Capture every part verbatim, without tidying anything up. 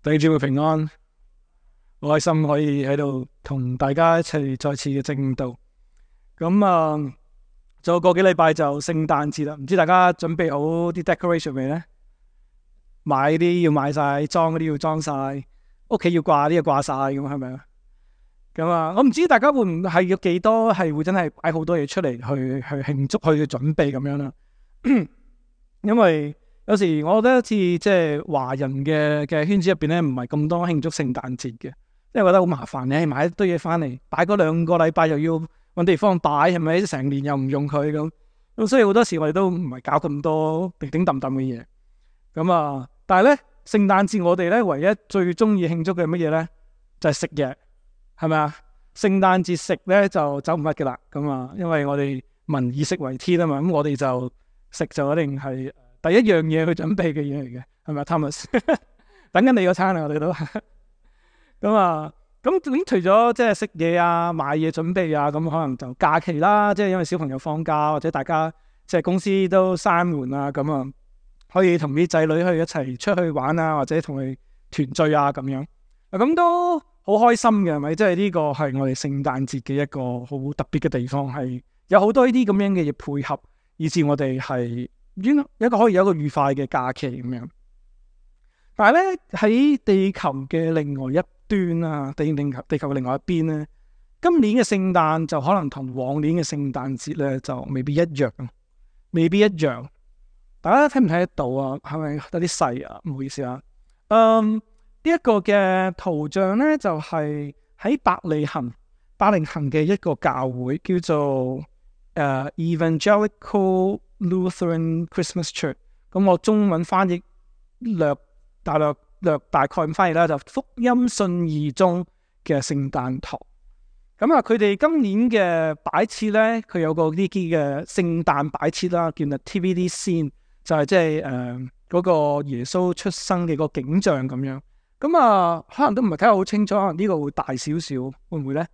弟兄姊妹平安，好開心可以喺度同大家一齊再次嘅證道。咁啊，仲有個幾禮拜就聖誕節啦，唔知大家準備好啲 decoration 未呢？買啲要買晒，裝嗰啲要裝晒，屋企要掛啲要掛晒，咁係咪啊？咁啊，我唔知大家會唔係要幾多係會真係擺好多嘢出嚟去去慶祝去準備咁樣啦。因為有時我覺得好似即係華人嘅嘅圈子入邊咧，唔係咁多慶祝聖誕節嘅，因為覺得好麻煩，你買一堆嘢翻嚟，擺嗰兩個禮拜又要搵地方擺，係咪？成年又唔用佢咁，咁所以好多時我哋都唔係搞咁多叮叮噹噹嘅嘢。咁啊，但係咧聖誕節我哋咧唯一最中意慶祝嘅乜嘢咧，就係食嘢，係咪啊？聖誕節食咧就走唔甩嘅啦，咁啊，因為我哋民以食為天啊嘛，咁我哋就食就一定係第一樣嘢去準備嘅嘢嚟嘅，係咪 Thomas？ 等緊你嗰餐啊，我哋都咁啊。咁咁除咗即係食嘢啊、買嘢準備啊，咁可能就假期啦，即係因為小朋友放假或者大家即係公司都閂門啊，咁啊可以同啲仔女去一齊出去玩啊，或者同佢團聚啊咁樣，咁都好開心嘅，係咪？即係呢個係我哋聖誕節嘅一個好特別嘅地方，係有好多呢啲咁樣嘅嘢配合，以至我哋係一個可以有一個愉快嘅假期咁樣。但係咧喺地球嘅另外一端啊，地地球地球嘅另外一邊咧，今年嘅聖誕就可能同往年嘅聖誕節咧就未必一樣，未必一樣。大家睇唔睇得到啊？係咪有啲細啊？唔好意思啊。嗯，呢一個嘅圖像咧就係喺伯利恆，伯利恆嘅一個教會叫做誒 Evangelical Lutheran Christmas Church。咁我中文翻譯略大略略大概咁翻譯啦，就福音信義宗嘅聖誕堂。咁啊，佢哋今年嘅擺設咧，佢有個呢啲嘅聖誕擺設啦，叫 Nativity Scene，就係即係誒嗰個耶穌出生嘅個景象咁樣。咁啊，可能都唔係睇得好清楚，可能呢個會大少少，會唔會咧？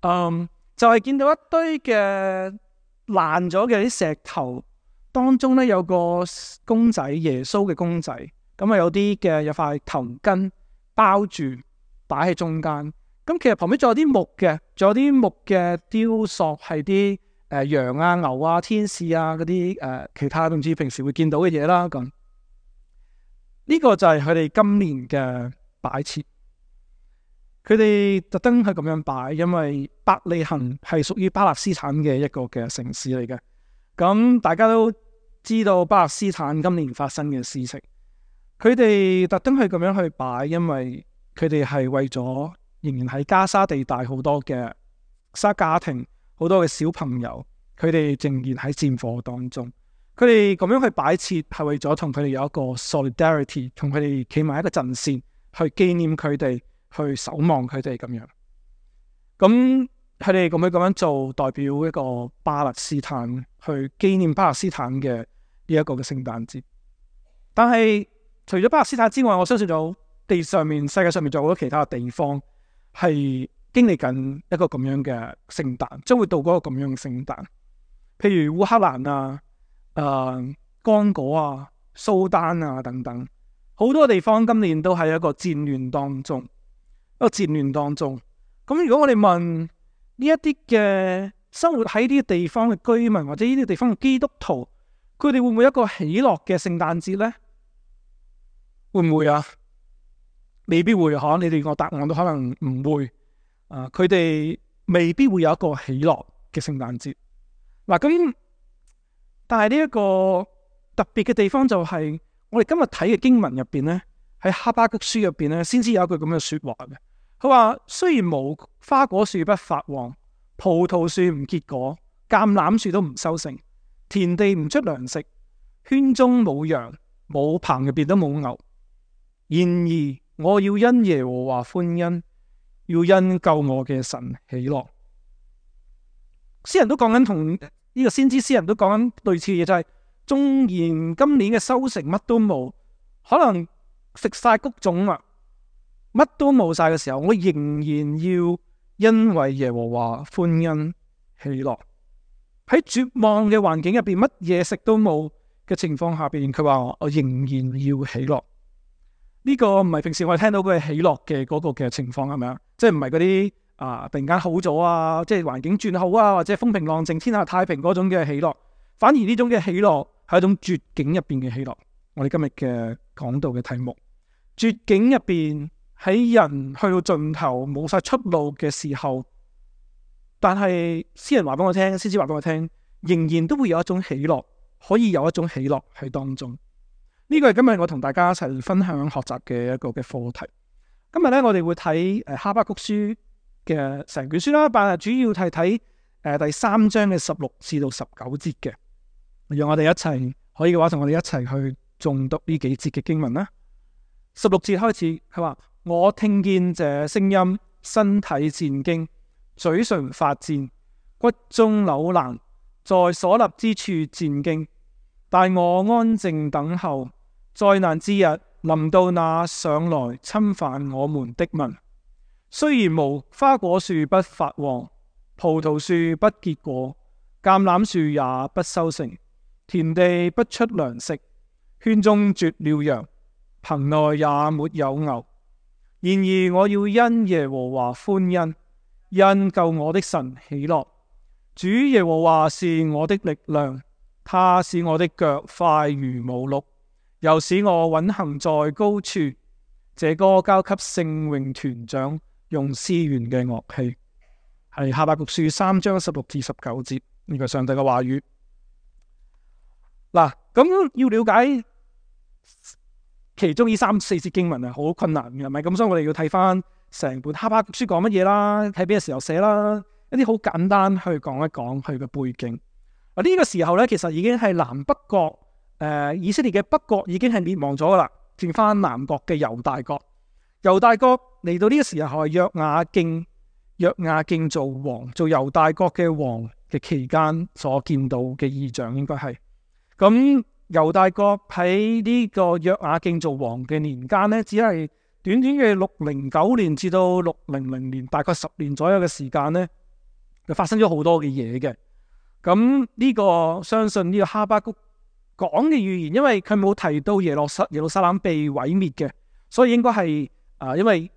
嗯，就係、是、見到一堆嘅爛咗嘅啲石頭當中咧，有個公仔，耶穌嘅公仔。咁啊，有啲嘅有塊頭巾包住，擺喺中間。咁其實旁邊仲有啲木嘅，仲有啲木嘅雕塑，係啲誒羊啊、牛啊、天使啊嗰啲誒其他總之平時會見到嘅嘢啦。咁呢個就係佢哋今年嘅擺設。佢哋特登係咁樣擺，因為伯利恆係屬於巴勒斯坦嘅一個嘅城市嚟嘅。咁大家都知道巴勒斯坦今年發生嘅事情。佢哋特登係咁樣去擺，因為佢哋係為咗仍然喺加沙地帶好多嘅沙家庭，好多嘅小朋友，佢哋仍然喺戰火當中。佢哋咁樣去擺設，係為咗同佢哋有一個 solidarity， 同佢哋企埋一個陣線，去紀念佢哋，去守望佢哋咁樣。咁佢哋咁樣咁樣做，代表一個巴勒斯坦，去紀念巴勒斯坦嘅呢一個嘅聖誕節。但係除咗巴勒斯坦之外，我相信有地上面、世界上面仲有好多其他嘅地方係經歷緊一個咁樣嘅聖誕，將會度過一個咁樣嘅聖誕。譬如烏克蘭啊、誒、呃、剛果啊、蘇丹啊等等，好多地方今年都係一個戰亂當中，一個戰亂當中。咁如果我哋問呢一啲嘅生活喺呢啲地方嘅居民，或者呢啲地方嘅基督徒，佢哋會唔會有一個喜樂嘅聖誕節呢？會唔會啊？未必會嗬，你哋個答案都可能唔會。啊、呃，佢哋未必會有一個喜樂嘅聖誕節。嗱、啊，咁但係呢一個特別嘅地方就係、是，我哋今日睇嘅經文入邊咧，喺哈巴谷書入邊咧，先知有一句咁嘅說話嘅。佢話雖然無花果樹不發黃，葡萄樹唔結果，橄欖樹都唔收成，田地唔出糧食，圈中冇羊，冇棚入邊都冇牛。然而我要因耶和華歡欣，要因救我嘅神喜樂。詩人都講緊同呢個先知詩人都講緊類似嘅嘢，就係、是、縱然今年嘅收成乜都冇，可能食晒谷種啦，乜都冇晒嘅時候，我仍然要因為耶和華歡欣喜樂。喺絕望嘅環境入邊，乜嘢食都冇嘅情況下邊，佢話我仍然要喜樂。呢個唔係平時我哋聽到嘅喜樂嘅嗰個嘅情況係咪啊？即係唔係嗰啲啊突然間好咗啊，即係環境轉好啊，或者風平浪靜、天下太平嗰種嘅喜樂，反而呢種嘅喜樂係一種絕境入邊嘅喜樂。我哋今日嘅講道嘅題目，絕境入邊喺人去到盡頭冇晒出路嘅時候，但係詩人話俾我聽，先知話俾我聽，仍然都會有一種喜樂，可以有一種喜樂喺當中。呢個係今日我同大家一齊分享學習嘅一個嘅課題。今日咧，我哋會睇誒哈巴谷書嘅成卷書啦，但係主要係睇誒第三章嘅十六至到十九節嘅。讓我哋一齊可以嘅話，同我哋一齊去誦讀呢幾節嘅經文啦。十六節開始，佢話：我聽見這聲音，身體戰驚，嘴唇發顫，骨中扭爛，在所立之處戰驚。但我安靜等候。災難之日臨到那上來侵犯我們的民。雖然無花果樹不發黃，葡萄樹不結果，橄欖樹也不收成，田地不出糧食，圈中絕了羊，棚內也沒有牛。然而我要因耶和華歡欣，因救我的神喜樂。主耶和華是我的力量，他使我的腳快如母鹿，又使我穩行在高處。這歌交給聖詠團長，用絲弦嘅樂器。係哈巴谷書三章十六至十九節，呢個上帝嘅話語。嗱，咁要了解其中呢三四節經文係好困難嘅，係咪？咁所以我哋要睇翻成本哈巴谷書講乜嘢啦，喺邊個時候寫啦，一啲好簡單去講一講佢嘅背景。啊，呢個時候咧，其實已經係南北國。誒、呃，以色列嘅北國已經係滅亡咗噶啦，剩翻南國嘅猶大國。猶大國嚟到呢個時候係約雅敬，約雅敬做王，做猶大國嘅王嘅期間所見到嘅異象，應該係咁。猶大國喺呢個約雅敬做王嘅年間呢，只係短短嘅六零九年至到六零零年，大概十年左右嘅時間呢，就發生咗好多嘅嘢嘅。咁呢個相信呢個哈巴谷講嘅預言，因為佢冇提到耶路撒耶路撒冷被毀滅嘅，所以應該係啊，因為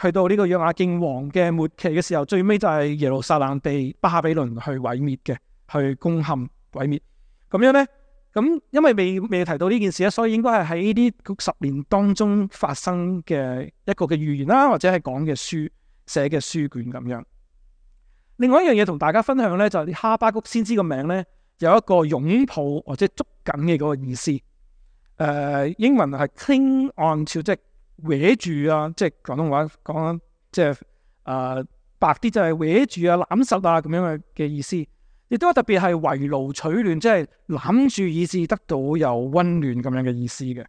去到呢個約雅敬王嘅末期嘅時候，最尾就係耶路撒冷被巴比倫去毀滅嘅，去攻陷毀滅。咁樣呢，咁因為未未提到呢件事咧，所以應該係喺呢啲十年當中發生嘅一個嘅預言啦，或者係講嘅書寫嘅書卷咁樣。另外一樣嘢同大家分享呢，就係哈巴谷先知個名呢，有一個擁抱或者捉緊嘅嗰個意思。誒、呃，英文係 cling on to，即係搲住啊，即係廣東話講，即係誒、呃、白啲就係搲住啊、攬實啊咁樣嘅嘅意思。亦都特別係圍爐取暖，即係攬住以致得到有溫暖咁樣嘅意思嘅。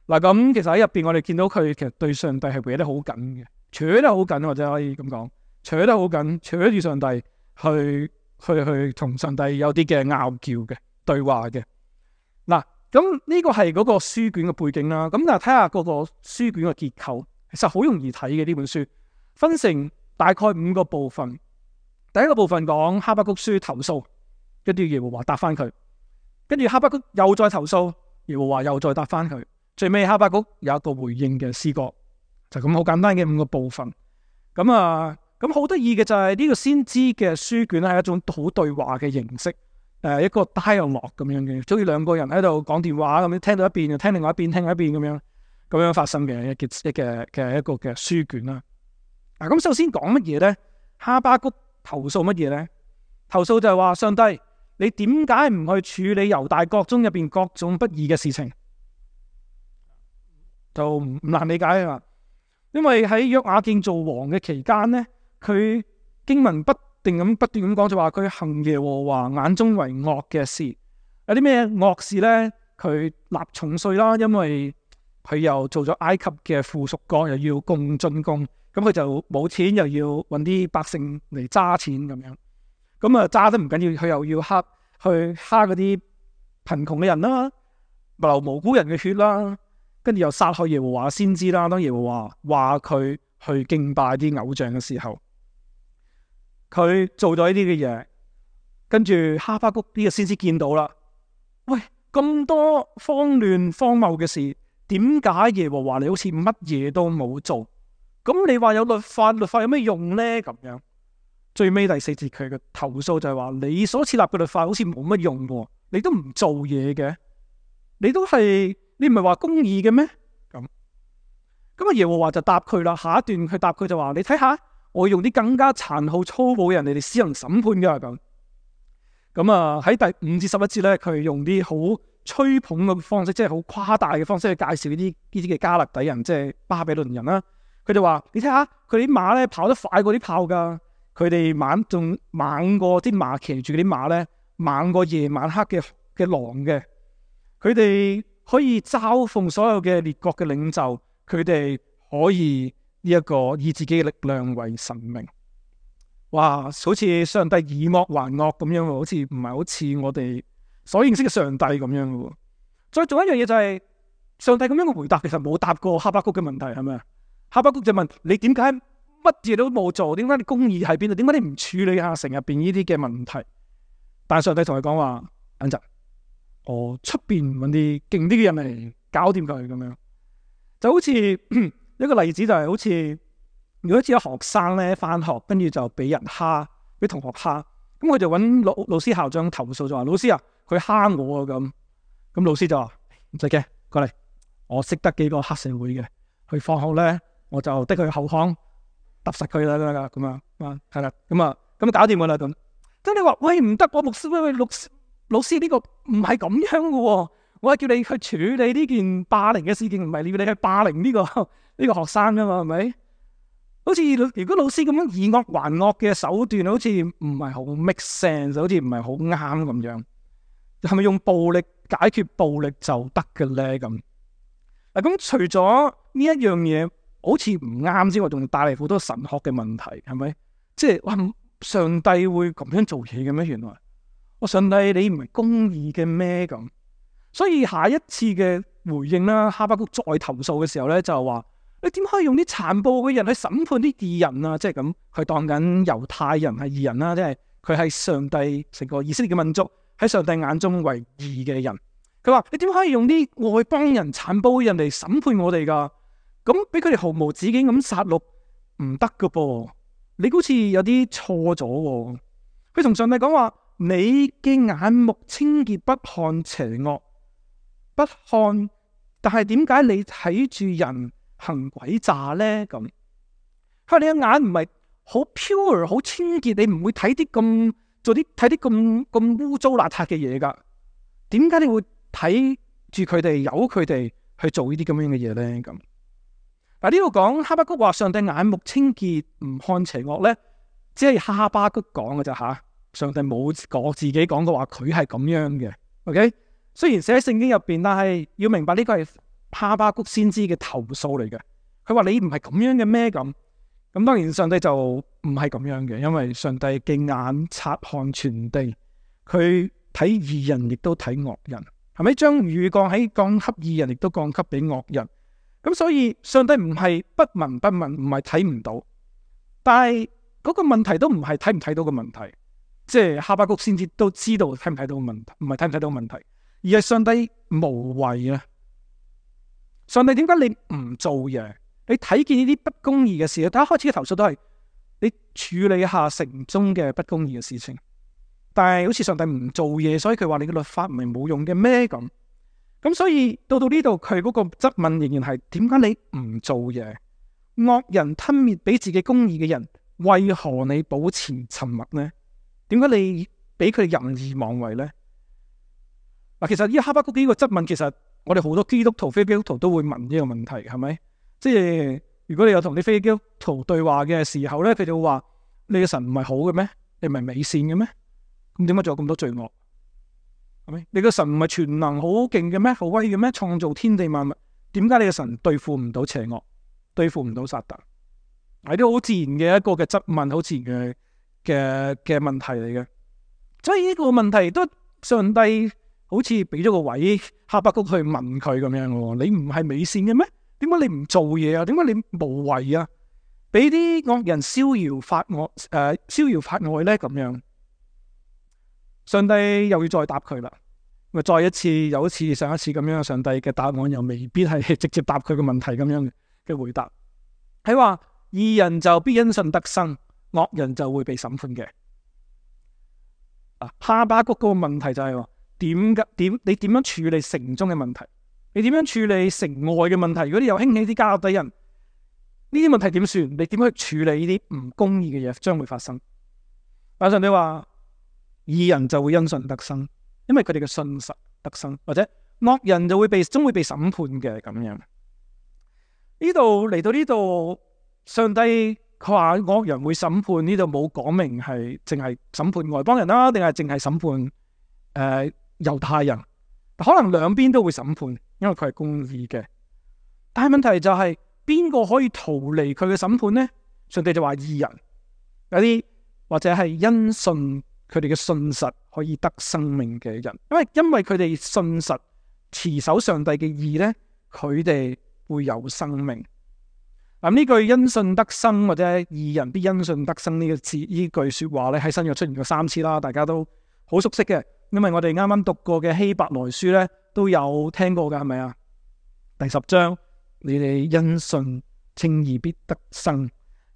嗱，咁其實喺入邊我哋見到佢其實對上帝係搲得好緊嘅，扯得好緊，或者可以咁講，扯得好緊，扯住上帝去。去去同上帝有啲嘅拗撬嘅對話嘅。嗱，咁呢個係嗰個書卷嘅背景啦。咁但係睇下嗰個書卷嘅結構，其實好容易睇嘅。呢本書分成大概五個部分。第一個部分講哈巴谷書投訴，跟住耶和華答翻佢，跟住哈巴谷又再投訴，耶和華又再答翻佢，最尾哈巴谷有一個回應嘅詩歌，就咁好簡單嘅五個部分。咁啊。咁好得意嘅就係呢個先知嘅書卷係一種好對話嘅形式，誒一個 dialogue 咁樣嘅，好似兩個人喺度講電話咁樣，聽到一邊又聽另外一邊，聽另外一邊咁樣咁樣發生嘅一嘅嘅嘅一個嘅書卷啦。嗱，咁首先講乜嘢咧？哈巴谷投訴乜嘢咧？投訴就係話上帝，你點解唔去處理猶大國中入邊各種不義嘅事情？就唔難理解啊！因為喺約雅敬做王嘅期間咧。佢經文不定咁不斷咁講，就話佢行耶和華眼中為惡嘅事。有啲咩惡事呢？佢納重稅啦，因為佢又做咗埃及嘅附屬國，又要貢進貢，咁佢就冇錢，又要揾啲百姓嚟揸錢咁樣。咁啊揸得唔緊要，佢又要蝦去蝦嗰啲貧窮嘅人啦，流無辜人嘅血啦，跟住又殺害耶和華先知啦。當耶和華話佢去敬拜啲偶像嘅時候。佢做咗呢啲嘅嘢，跟住哈巴谷呢個先知見到啦。喂，咁多荒亂荒謬嘅事，點解耶和華你好似乜嘢都冇做？咁你話有律法，律法有咩用呢？咁樣最尾第四節佢嘅投訴就係話，你所設立嘅律法好似冇乜用喎，你都唔做嘢嘅，你都係你唔係話公義嘅咩？咁咁啊耶和華就答佢啦，下一段佢答佢就話，你睇下，我用啲更加殘酷粗暴嘅人嚟嚟施行審判噶咁。咁啊喺第五至十一節咧，佢用啲好吹捧嘅方式，即係好誇大嘅方式去介紹呢啲呢啲嘅加勒底人，即係巴比倫人啦。佢就話：你睇下佢啲馬咧跑得快過啲炮噶，佢哋猛仲猛過啲馬騎住嗰啲馬咧，猛過夜晚黑嘅嘅狼嘅。佢哋可以嘲諷所有嘅列國嘅領袖，佢哋可以呢一個以自己嘅力量為神明。哇！好似上帝以惡還惡咁樣喎，好似唔係好似我哋所認識嘅上帝咁樣嘅喎。再做一樣嘢就係、是、上帝咁樣嘅回答，其實冇答過哈巴谷嘅問題，係咪啊？哈巴谷就問你點解乜嘢都冇做？點解你公義喺邊度？點解你唔處理下城入邊呢啲嘅問題？但係上帝同佢講話：等陣，我出邊揾啲勁啲嘅人嚟搞掂佢咁樣。就好似一個例子就係好似。如果似有學生咧翻學，跟住就俾人蝦，俾同學蝦，咁佢就揾老老師校長投訴，就話老師啊，佢蝦我啊咁。咁老師就話唔使驚，過嚟，我識得幾個黑社會嘅，去放學咧我就的佢後巷揼實佢啦咁咁啊，係啦，咁啊咁搞掂噶啦咁。即係你話喂唔得，我牧師喂喂老老師呢個唔係咁樣嘅喎，我係叫你去處理呢件霸凌嘅事件，唔係要你去霸凌呢個呢個學生噶嘛，係咪？好似如果老師咁樣以惡還惡嘅手段，好似唔係好 make sense，好似唔係好啱咁樣。係咪用暴力解決暴力就得嘅咧？咁嗱，咁除咗呢一樣嘢好似唔啱之外，仲帶嚟好多神學嘅問題，係咪？即係哇，上帝會咁樣做嘢嘅咩？原來我上帝你唔係公義嘅咩？咁所以下一次嘅回應啦，哈巴谷再投訴嘅時候咧，就係話。你點可以用啲殘暴嘅人去審判啲義人啊？即係咁，佢當緊猶太人係義人啦，即係佢係上帝成個以色列嘅民族喺上帝眼中為義嘅人。佢話你點可以用啲外邦人殘暴嘅人嚟審判我哋噶？咁俾佢哋毫無止境咁殺戮唔得噶噃？你好似有啲錯咗。佢同上帝講話：你嘅眼目清潔，不看邪惡，不看。但係點解你睇住人行詭詐咧？咁佢話你嘅眼唔係好 pure 好清潔，你唔會睇啲咁做啲睇啲咁咁污糟邋遢嘅嘢噶。點解你會睇住佢哋，由佢哋去做呢啲咁樣嘅嘢咧？咁嗱，呢度講哈巴谷話上帝眼目清潔，唔看邪惡咧，只係哈巴谷講嘅咋吓。上帝冇講自己講過話佢係咁樣嘅。OK， 雖然寫喺聖經入邊，但係要明白呢個係哈巴谷先知嘅投訴嚟嘅。佢話你唔係咁樣嘅咩？咁咁當然上帝就唔係咁樣嘅，因為上帝嘅眼察看全地，佢睇義人亦都睇惡人，係咪？將雨降喺降給義人，亦都降給俾惡人。咁所以上帝唔係不聞不問，唔係睇唔到，但係嗰個問題都唔係睇唔睇到嘅問題，即係哈巴谷先知都知道睇唔睇到嘅問題，唔係睇唔睇到嘅問題，而係上帝無為啊！上帝點解你唔做嘢？你睇見呢啲不公義嘅事，大家開始嘅投訴都係你處理一下城中嘅不公義嘅事情，但係好似上帝唔做嘢，所以佢話你嘅律法唔係冇用嘅咩？咁咁所以到到呢度，佢嗰個質問仍然係點解你唔做嘢？惡人吞滅比自己公義嘅人，為何你保持沉默呢？點解你俾佢任意妄為呢？嗱，其實呢哈巴谷呢個質問，其實我哋好多基督徒、非基督徒都會問呢個問題，係咪？即係如果你有同啲非基督徒對話嘅時候咧，佢就會話：你嘅神唔係好嘅咩？你唔係美善嘅咩？咁點解仲有咁多罪惡？係咪？你嘅神唔係全能好勁嘅咩？好威嘅咩？創造天地萬物，點解你嘅神對付唔到邪惡，對付唔到撒旦？係啲好自然嘅一個嘅質問，好自然嘅嘅嘅問題嚟嘅。所以呢個問題都上帝好似俾咗個位哈巴谷去問佢咁樣嘅。你唔係美善嘅咩？點解你唔做嘢啊？點解你無為啊？俾啲惡人逍遙法外，誒、呃，逍遙法外咧咁樣。上帝又要再答佢啦。咪再一次有一次上一次咁樣，上帝嘅答案又未必係直接答佢嘅問題咁樣嘅回答。係話義人就必因信得生，惡人就會被審判嘅。啊，哈巴谷嗰個問題就係話點嘅點？你點樣處理城中嘅問題？你點樣處理城外嘅問題？如果你又興起啲迦勒底人，呢啲問題點算？你點樣去處理呢啲唔公義嘅嘢將會發生？馬上你話義人就會因信得生，因為佢哋嘅信實得生，或者惡人就會被終會被審判嘅咁樣。呢度嚟到呢度，上帝佢話惡人會審判，呢度冇講明係淨係審判外邦人啦，定係淨係審判誒、呃、猶太人？可能兩邊都會審判，因為佢係公義嘅。但係問題就係邊個可以逃離佢嘅審判呢？上帝就話義人，有啲或者係因信佢哋嘅信實可以得生命嘅人，因為因為佢哋信實持守上帝嘅義呢，佢哋會有生命。嗱，呢句因信得生或者義人必因信得生呢個字呢句說話咧，喺新約出現過三次啦，大家都好熟悉嘅，因為我哋啱啱讀過嘅希伯來書咧都有聽過噶，係咪啊？第十章，你哋因信稱義必得生，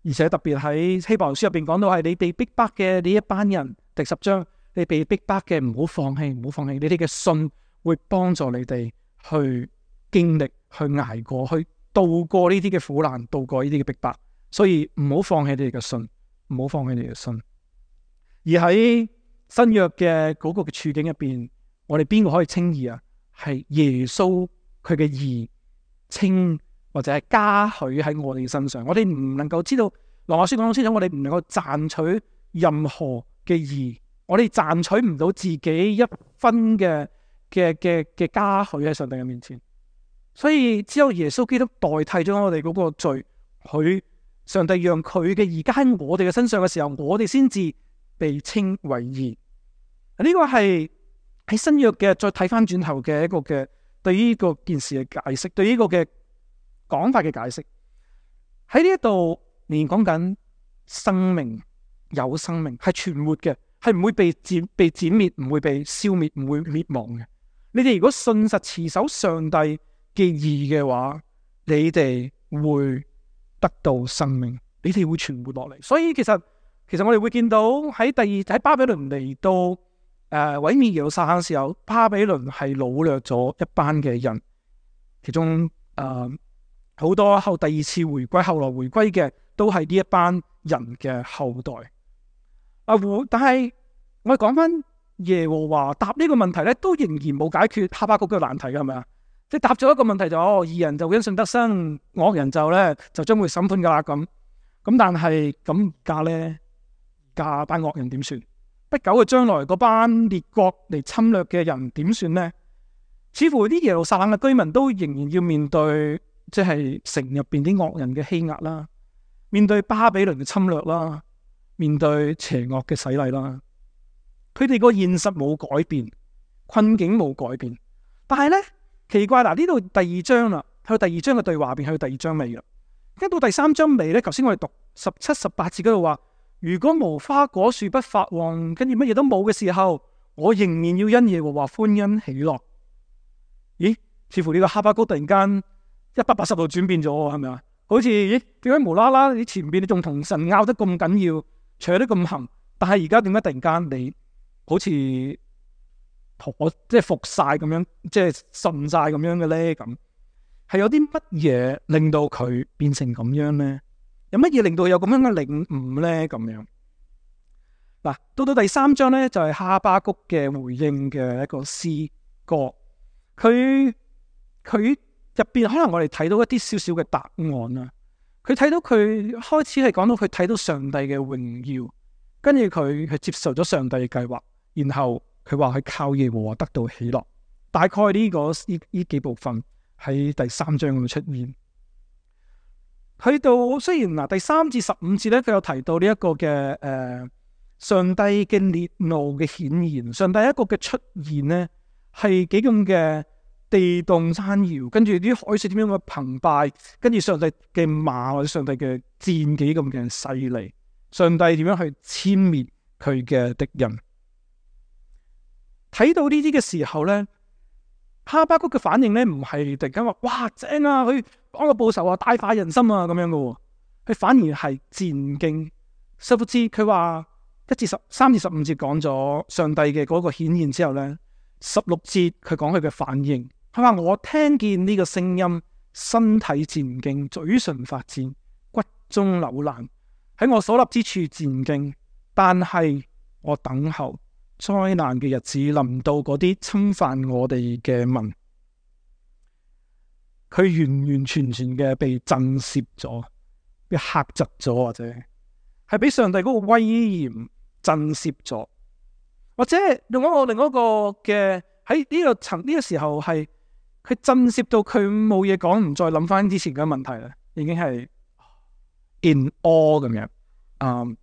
而且特別喺希伯來書入邊講到係你被逼迫嘅呢一班人，第十章，你被逼迫嘅唔好放棄，唔好放棄，你哋嘅信會幫助你哋去經歷、去捱過去。渡過呢啲嘅苦難，渡過呢啲嘅逼迫，所以唔好放棄你哋嘅信，唔好放棄你哋嘅信。而喺新約嘅嗰個嘅處境入邊，我哋邊個可以稱義啊？係耶穌佢嘅義稱或者係加許喺我哋身上。我哋唔能夠知道，羅馬書講得清楚，我哋唔能夠賺取任何嘅義，我哋賺取唔到自己一分嘅嘅嘅嘅加許喺上帝嘅面前。所以只有耶穌基督代替咗我哋嗰個罪，佢上帝讓佢嘅義加喺我哋嘅身上嘅時候，我哋先至被稱為義。呢個係喺新約嘅再睇翻轉頭嘅一個嘅對於呢個件事嘅解釋，對於呢個嘅講法嘅解釋。喺呢一度連講緊生命，有生命係存活嘅，係唔會被剪被剪滅，唔會被消滅，唔會滅亡嘅。你哋如果信實持守上帝嘅義嘅話，你哋會得到生命，你哋會存活落嚟。所以其實其實我哋會見到喺第二喺巴比倫嚟到誒毀滅耶路撒冷嘅時候，巴比倫係擄掠咗一班嘅人，其中誒好、呃、多後第二次回歸後來回歸嘅都係呢一班人嘅後代。啊，但係我哋講翻耶和華答呢個問題咧，都仍然冇解決哈巴谷嘅難題嘅，係咪啊？即係答咗一個問題就哦，義人就因信得生，惡人就咧就將會審判噶啦咁。咁但係咁架咧，架班惡人點算？不久嘅將來嗰班列國嚟侵略嘅人點算呢？似乎啲耶路撒冷嘅居民都仍然要面對即係城入邊啲惡人嘅欺壓啦，面對巴比倫嘅侵略啦，面對邪惡嘅洗禮啦。佢哋個現實冇改變，困境冇改變，但係咧。奇怪嗱，呢度第二章啦，去到第二章嘅對話入邊，去到第二章尾啦。跟到第三章尾咧，頭先我哋讀十七、十八節嗰度話，如果無花果樹不發旺，跟住乜嘢都冇嘅時候，我仍然要因耶和華歡欣喜樂。咦？似乎呢個哈巴谷突然間一百八十度轉變咗，係咪啊？好似咦？點解無啦啦你前邊你仲同神拗得咁緊要，扯得咁行，但係而家點解突然間你好似？我即係服晒咁樣，即係信晒咁樣嘅咧，咁係有啲乜嘢令到佢變成咁樣咧？有乜嘢令到佢有咁樣嘅領悟咧？咁樣嗱，到到第三章咧，就係哈巴谷嘅回應嘅一個詩歌。佢佢入邊可能我哋睇到一啲少少嘅答案啦。佢睇到佢開始係講到佢睇到上帝嘅榮耀，跟住佢係接受咗上帝嘅計劃，然後。佢話係靠耶和華得到喜樂，大概呢、這個呢呢幾部分喺第三章嗰度出現。去到雖然嗱第三至十五節咧，佢有提到呢一個嘅誒、呃、上帝嘅烈怒嘅顯現，上帝一個嘅出現呢係幾咁嘅地動山搖，跟住啲海水點樣嘅澎湃，跟住上帝嘅馬或者上帝嘅箭幾咁嘅犀利，上帝點樣去殲滅佢嘅敵人。睇到呢啲嘅時候咧，哈巴谷嘅反應咧唔係突然間話哇正啊，佢幫我報仇啊，大快人心啊咁樣嘅喎，佢反而係戰兢。殊不知佢話一至十三至十五節講咗上帝嘅嗰個顯現之後咧，十六節佢講佢嘅反應，佢話我聽見呢個聲音，身體戰兢，嘴唇發顫，骨中扭爛，喺我所立之處戰兢，但係我等候災難嘅日子臨到嗰啲侵犯我哋嘅民，佢完完全全嘅被震懾咗，被嚇窒咗，或者係俾上帝嗰個威嚴震懾咗，或者用一個另一個嘅喺呢個層呢個時候係佢震懾到佢冇嘢講，唔再諗翻之前嘅問題啦，已經係 in awe 咁樣，嗯，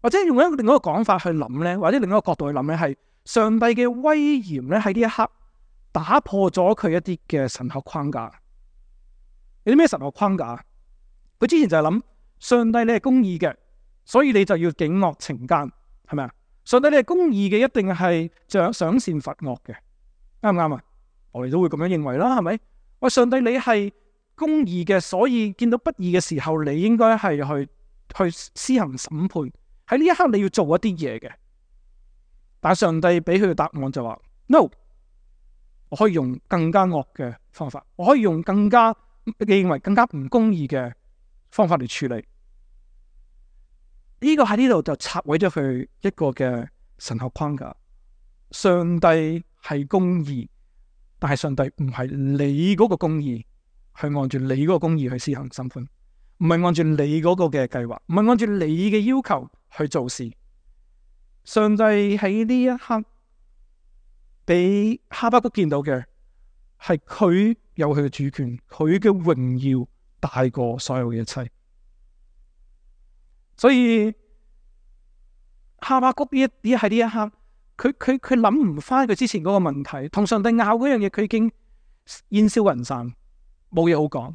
或者用一個另一個講法去諗咧，或者另一個角度去諗咧，係上帝嘅威嚴咧喺呢一刻打破咗佢一啲嘅神學框架。有啲咩神學框架？佢之前就係諗上帝你係公義嘅，所以你就要警惡懲奸，係咪啊？上帝你係公義嘅，一定係賞賞善罰惡嘅，啱唔啱啊？我哋都會咁樣認為啦，係咪？喂，上帝你係公義嘅，所以見到不義嘅時候，你應該係去去施行審判。喺呢一刻你要做一啲嘢嘅，但係上帝俾佢嘅答案就話 no， 我可以用更加惡嘅方法，我可以用更加你認為更加唔公義嘅方法嚟處理。呢個喺呢度就拆毀咗佢一個嘅神學框架。上帝係公義，但係上帝唔係你嗰個公義，係按住你嗰個公義去施行審判，唔係按住你嗰個嘅計劃，唔係按住你嘅要求去做事。上帝喺呢一刻俾哈巴谷見到嘅係佢有佢嘅主權，佢嘅榮耀大過所有嘅一切。所以哈巴谷呢一啲喺呢一刻，佢佢佢諗唔翻佢之前嗰個問題，同上帝拗嗰樣嘢，佢已經煙消雲散，冇嘢好講。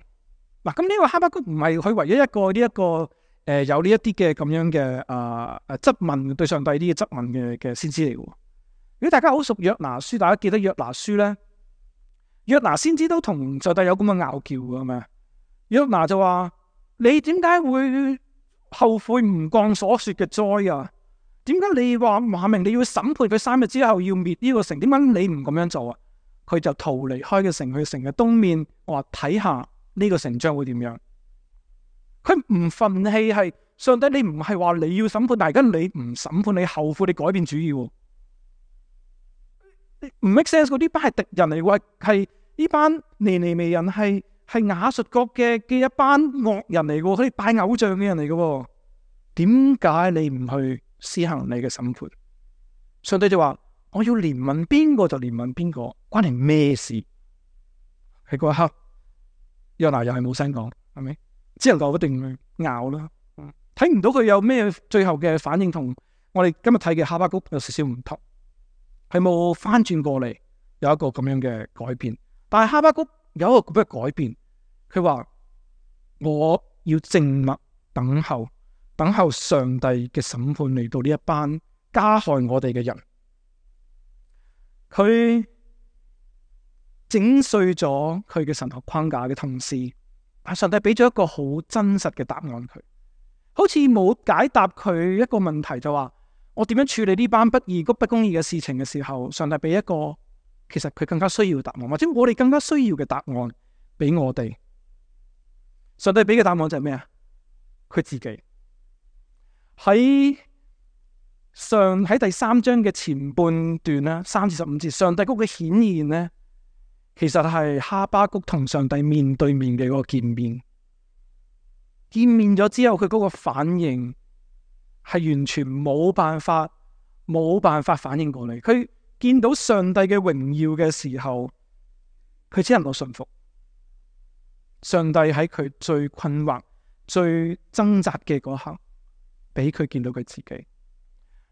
嗱，咁呢個哈巴谷唔係佢唯一一個呢一、這個誒、呃、有呢一啲嘅咁樣嘅啊誒質問對上帝啲嘅質問嘅嘅先知嚟嘅。如果大家好熟約拿書，大家記得約拿書咧，約拿先知都同上帝有咁嘅拗撬嘅，係咪？約拿就話：你點解會後悔唔降所說嘅災啊？點解你話話明你要審判佢三日之後要滅呢個城？點解你唔咁樣做啊？佢就逃離開個城，去城嘅東面，我話睇下呢個城將會點樣。佢唔憤氣，係上帝，你唔係話你要審判，但係而家你唔審判，你後悔，你改變主意，唔 make sense。嗰啲班係敵人嚟嘅，係呢班尼尼微人，係係亞述國嘅嘅一班惡人嚟嘅，佢哋拜偶像嘅人嚟嘅。點解你唔去施行你嘅審判？上帝就話：我要憐憫邊個就憐憫邊個，關你咩事？喺嗰一刻，約拿又係冇聲講，係咪？只能夠一定去拗啦。睇唔到佢有咩最後嘅反應，同我哋今日睇嘅哈巴谷有少少唔同，係冇翻轉過嚟，有一個咁樣嘅改變。但係哈巴谷有一個咁嘅改變，佢話我要靜默等候。等候上帝嘅審判嚟到呢一班加害我哋嘅人，佢整碎咗佢嘅神學框架嘅同時，但上帝俾咗一個好真實嘅答案佢，好似冇解答佢一個問題，就話我點樣處理呢班不義、不公義嘅事情嘅時候，上帝俾一個其實佢更加需要嘅答案，或者我哋更加需要嘅答案俾我哋。上帝俾嘅答案就係咩啊？佢自己。喺上喺第三章嘅前半段啦，三至十五節，上帝嗰個顯現呢，其實係哈巴谷同上帝面對面嘅嗰個見面。見面咗之後，佢嗰個反應係完全冇辦法，冇辦法反應過嚟。佢見到上帝嘅榮耀嘅時候，佢只能夠順服。上帝喺佢最困惑、最掙扎嘅嗰刻，俾佢見到佢自己。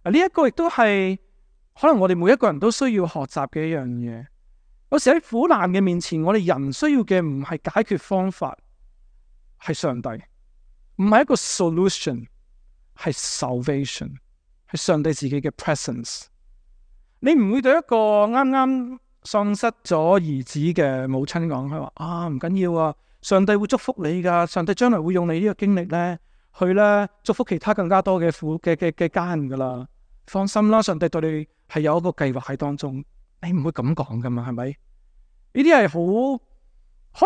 啊，呢一個亦都係可能我哋每一個人都需要學習嘅一樣嘢。有時喺苦難嘅面前，我哋人需要嘅唔係解決方法，係上帝，唔係一個 solution， 係 salvation， 係上帝自己嘅 presence。你唔會對一個啱啱喪失咗兒子嘅母親講，佢話啊，唔緊要啊，上帝會祝福你噶，上帝將來會用你呢個經歷咧，去咧祝福其他更加多嘅苦嘅嘅嘅家人噶啦。放心啦，上帝對你係有一個計劃喺當中，你唔會咁講噶嘛，係咪？呢啲係好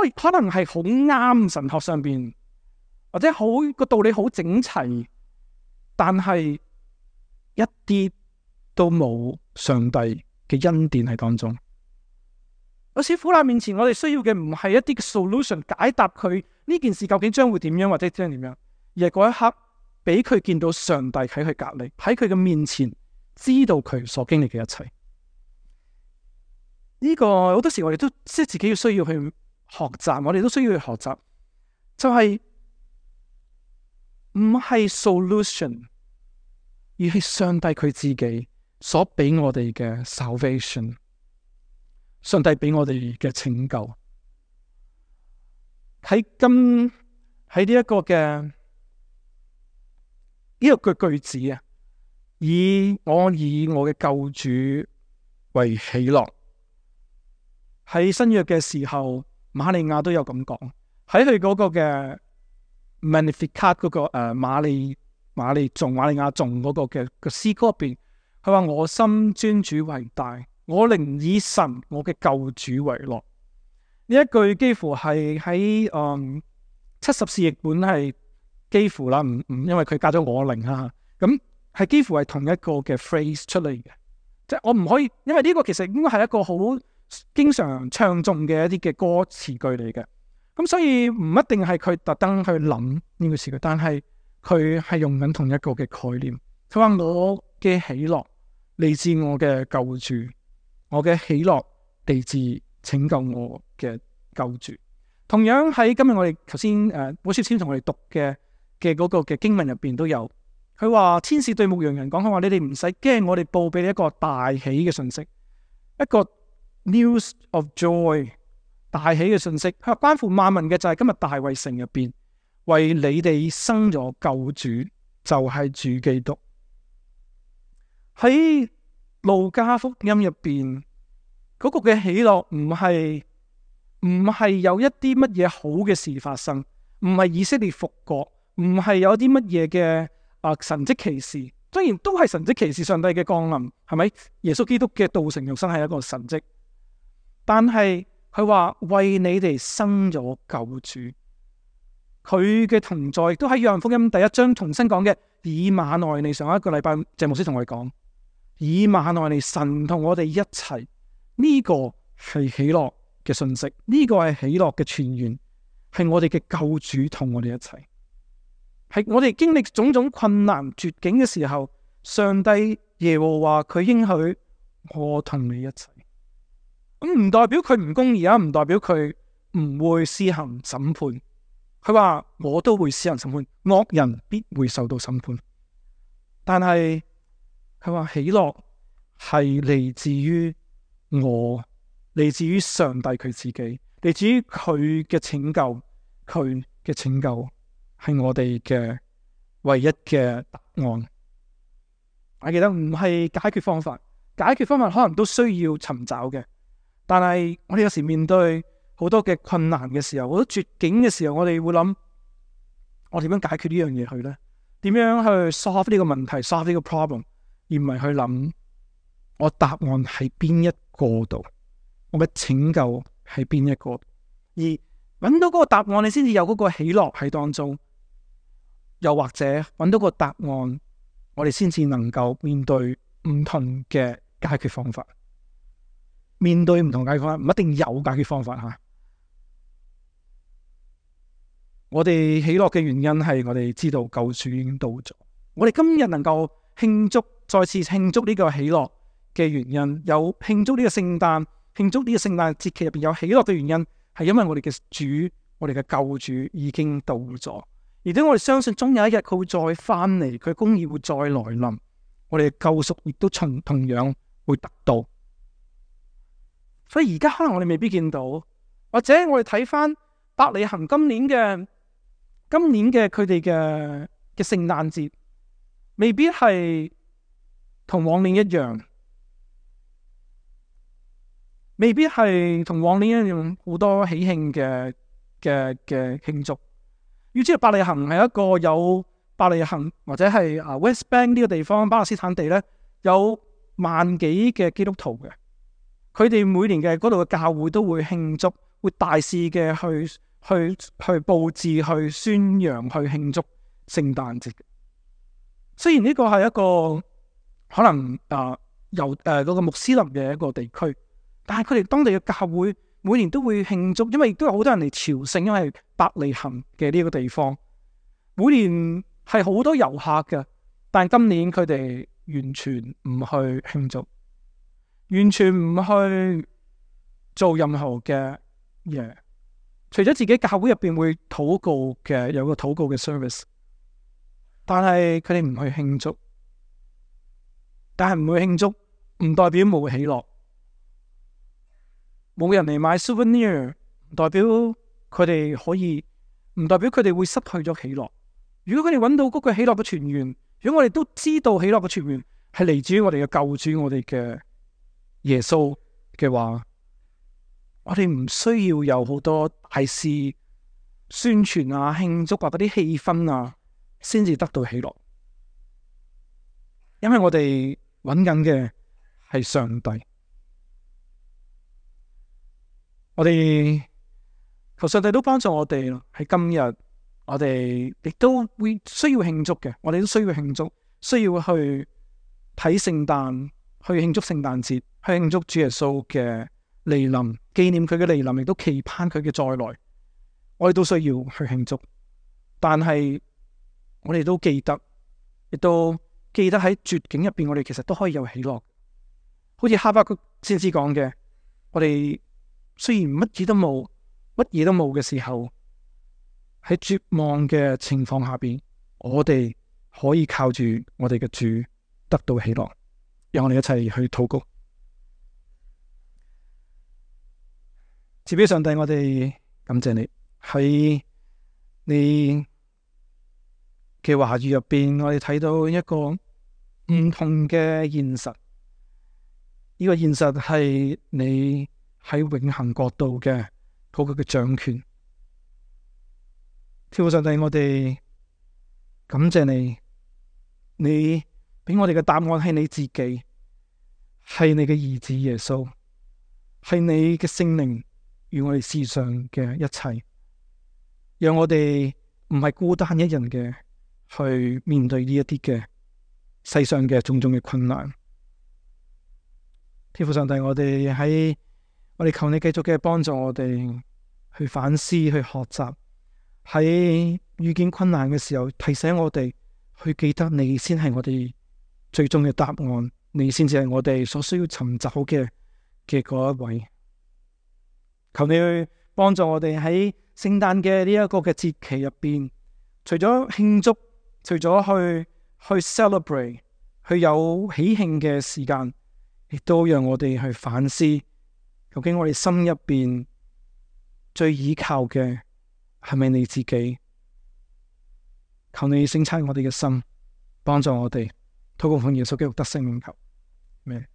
可以可能係好啱神學上邊，或者好個道理好整齊，但係一啲都冇上帝嘅恩典喺當中。有時苦難面前，我哋需要嘅唔係一啲嘅 solution 解答佢呢件事究竟將會點樣或者將點樣，而係嗰一刻俾佢見到上帝喺佢隔籬，喺佢嘅面前，知道佢所經歷嘅一切。呢個好多時我哋都即係自己要需要去學習，我哋都需要去學習，就係唔係 solution，而係上帝佢自己所俾我哋嘅 salvation， 上帝俾我哋嘅拯救。喺今喺呢一個嘅呢個句句子啊，以我以我嘅救主為喜樂。喺新約嘅時候，瑪利亞都有咁講，喺佢嗰個嘅 Magnificat 嗰個誒瑪利瑪利頌瑪利亞頌嗰個嘅個詩歌入邊，佢話我心尊主為大，我靈以神我嘅救主為樂。呢一句幾乎係喺誒七十士譯本係幾乎啦，唔唔因為佢加咗我靈啊，咁係幾乎係同一個嘅 phrase 出嚟嘅，即係我唔可以，因為呢個其實應該係一個好經常唱誦嘅一啲嘅歌詞句嚟嘅，咁所以唔一定係佢特登去諗呢個詞句，但係佢係用緊同一個嘅概念。佢話我嘅喜樂嚟自我嘅救主，我嘅喜樂嚟自拯救我嘅救主。同樣喺今日我哋頭先誒保書先同我哋讀嘅嘅嗰個嘅經文入邊都有，佢話天使對牧羊人講，佢話你哋唔使驚，我哋報俾你一個大喜嘅信息，一個News of joy， 大喜嘅信息，佢話關乎萬民嘅就係今日大衛城入邊為你哋生咗救主，就係、是、主基督。喺路加福音入邊嗰個嘅喜樂唔係唔係有一啲乜嘢好嘅事發生，唔係以色列復國，唔係有啲乜嘢嘅啊神蹟奇事，雖然都係神蹟奇事，上帝嘅降臨係咪？耶穌基督嘅道成肉身係一個神蹟。但係佢話為你哋生咗救主，佢嘅同在亦都喺約翰福音第一章重新講嘅以馬內利。上一個禮拜謝牧師同我哋講以馬內利，神同我哋一齊，呢、這個係喜樂嘅信息，呢、這個係喜樂嘅泉源，係我哋嘅救主同我哋一齊，係我哋經歷種種困難絕境嘅時候，上帝耶和華佢應許我同你一齊。咁唔代表佢唔公義啊，唔代表佢唔會施行審判。佢話我都會施行審判，惡人必會受到審判。但係佢話喜樂係嚟自於我，嚟自於上帝佢自己，嚟自於佢嘅拯救，佢嘅拯救係我哋嘅唯一嘅答案。我記得唔係解決方法，解決方法可能都需要尋找嘅。但係我哋有時面對好多嘅困難嘅時候，好多絕境嘅時候，我哋會諗我點樣解決呢樣嘢去呢？點樣去 solve 呢個問題 solve 呢個 problem， 而唔係去諗我答案喺邊一個度，我嘅拯救喺邊一個，而揾到嗰個答案，你先至有嗰個喜樂喺當中。又或者揾到個答案，我哋先至能夠面對唔同嘅解決方法。面對唔同解決方法，唔一定有解決方法吓。我哋喜樂嘅原因係我哋知道救主已經到咗。我哋今日能夠慶祝，再次慶祝呢個喜樂嘅原因，有慶祝呢個聖誕，慶祝呢個聖誕節期入邊有喜樂嘅原因，係因為我哋嘅主，我哋嘅救主已經到咗，而且我哋相信終有一日佢會再翻嚟，佢公義會再來臨，我哋嘅救贖亦都同同樣會得到。所以而家可能我哋未必見到，或者我哋睇翻伯利恆今年嘅今年嘅佢哋嘅嘅聖誕節，未必係同往年一樣。未必係同往年一樣好多喜慶嘅嘅嘅慶祝。要知道伯利恆係一個有伯利恆或者係啊 West Bank 呢個地方巴勒斯坦地咧，有萬幾嘅基督徒嘅。佢哋每年嘅嗰度嘅教會都會慶祝，會大肆嘅去去去佈置、去宣揚、去慶祝聖誕節。雖然呢個係一個可能啊由誒嗰個穆斯林嘅一個地區，但係佢哋當地嘅教會每年都會慶祝，因為亦都有好多人嚟朝聖，因為伯利恆嘅呢個地方每年係好多遊客嘅，但係今年佢哋完全唔去慶祝，完全唔去做任何嘅嘢，除咗自己教會入邊會禱告嘅，有個禱告嘅 service， 但係佢哋唔去慶祝。但係唔會慶祝，唔代表冇喜樂。冇人嚟買 souvenir， 唔代表佢哋可以，唔代表佢哋會失去咗喜樂。如果佢哋揾到嗰個喜樂嘅泉源，如果我哋都知道喜樂嘅泉源係嚟自於我哋嘅救主，我哋嘅耶穌嘅話，我哋唔需要有好多大事宣傳啊、慶祝啊嗰啲氣氛啊，先至得到喜樂。因為我哋揾緊嘅係上帝，我哋求上帝都幫助我哋咯。喺今日，我哋亦都會需要慶祝嘅，我哋都需要慶祝，需要去睇聖誕，去慶祝聖誕節，去慶祝主耶穌嘅嚟臨，紀念佢嘅嚟臨，亦都期盼佢嘅再來。我哋都需要去慶祝，但係我哋都記得，亦都記得喺絕境入邊，我哋其實都可以有喜樂。好似哈巴谷先知講嘅，我哋雖然乜嘢都冇，乜嘢都冇嘅時候，喺絕望嘅情況下邊，我哋可以靠住我哋嘅主得到喜樂。讓我哋一齊去禱告。賜俾上帝，我哋感謝你喺你嘅話語入邊，我哋睇到一個唔同嘅現實。呢個現實係你喺永恆國度嘅嗰個嘅掌權。天父上帝，我哋感謝你，你俾我哋嘅答案係你自己，係你嘅兒子耶穌，係你嘅聖靈與我哋世上嘅一切，讓我哋唔係孤單一人嘅去面對呢一啲嘅世上嘅種種嘅困難。天父上帝，我哋喺我哋求你繼續嘅幫助我哋去反思、去學習，喺遇見困難嘅時候提醒我哋去記得你先係我哋最終嘅答案，你先至係我哋所需要尋找嘅嘅嗰一位。求你去幫助我哋喺聖誕嘅呢一個嘅節期入邊，除咗慶祝，除咗去去 celebrate， 去有喜慶嘅時間，亦都讓我哋去反思，究竟我哋心入邊最依靠嘅係咪你自己？求你省察我哋嘅心，幫助我哋，禱告奉耶穌基督得勝名求。咩？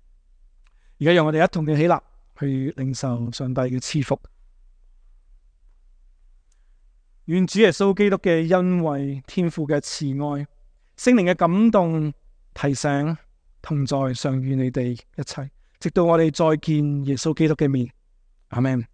而家讓我哋一同嘅起立，去領受上帝嘅賜福。願主耶穌基督嘅恩惠、天父嘅慈愛、聖靈嘅感動、提醒同在，常與你哋一齊，直到我哋再見耶穌基督嘅面。阿們。